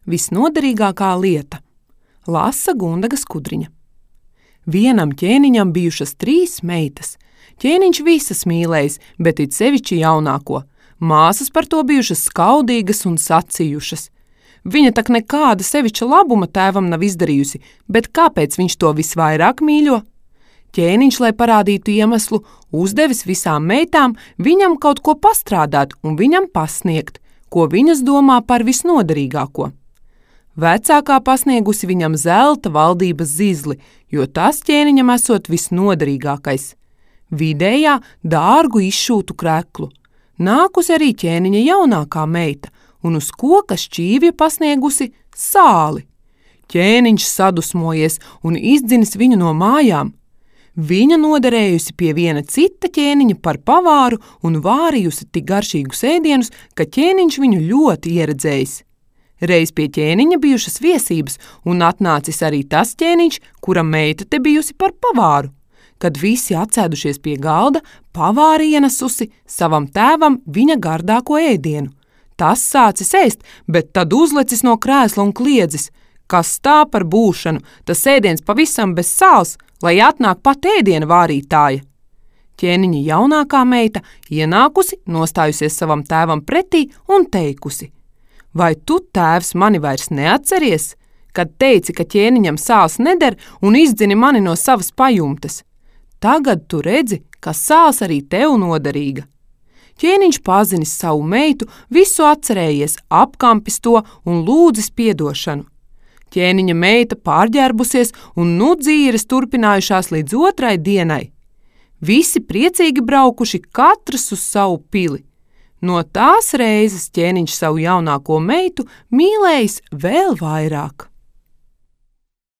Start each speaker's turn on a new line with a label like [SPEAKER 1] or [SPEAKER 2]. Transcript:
[SPEAKER 1] Visnoderīgākā lieta. Lasa Gundaga Skudriņa. Vienam ķēniņam bijušas 3 meitas. Ķēniņš visas mīlējis, bet it sevišķi jaunāko. Māsas par to bijušas skaudīgas un sacījušas. Viņa tak nekāda sevišķa labuma tēvam nav izdarījusi, bet kāpēc viņš to visvairāk mīļo? Ķēniņš, lai parādītu iemeslu, uzdevis visām meitām viņam kaut ko pastrādāt un viņam pasniegt, ko viņas domā par visnoderīgāko. Vecākā pasniegusi viņam zelta valdības zizli, jo tas ķēniņam esot visnoderīgākais. Vidējā dārgu izšūtu kreklu. Nākusi arī ķēniņa jaunākā meita un uz koka šķīvja pasniegusi sāli. Ķēniņš sadusmojies un izdzinis viņu no mājām. Viņa noderējusi pie viena cita ķēniņa par pavāru un vārījusi tik garšīgus ēdienus, ka ķēniņš viņu ļoti ieredzējis. Reiz pie ķēniņa bijušas viesības un atnācis arī tas ķēniņš, kura meita te bijusi par pavāru. Kad visi atsēdušies pie galda, pavāri ienesusi savam tēvam viņa gardāko ēdienu. Tas sācis ēst, bet tad uzlecis no krēsla un kliedzis. Kas tā par būšanu, tas ēdiens pavisam bez sāls, lai atnāk pat ēdiena vārītāja. Ķēniņa jaunākā meita ienākusi, nostājusies savam tēvam pretī un teikusi: Vai tu, tēvs, mani vairs neatceries, kad teici, ka ķēniņam sāls neder un izdzini mani no savas pajumtes? Tagad tu redzi, ka sāls arī tev noderīga. Ķēniņš pazinis savu meitu, visu atcerējies, apkampis to un lūdzis piedošanu. Ķēniņa meita pārģērbusies un nu dzīves turpinājušās līdz 2. dienai. Visi priecīgi braukuši, katrs uz savu pili. No tās reizes ķēniņš savu jaunāko meitu mīlējis vēl vairāk.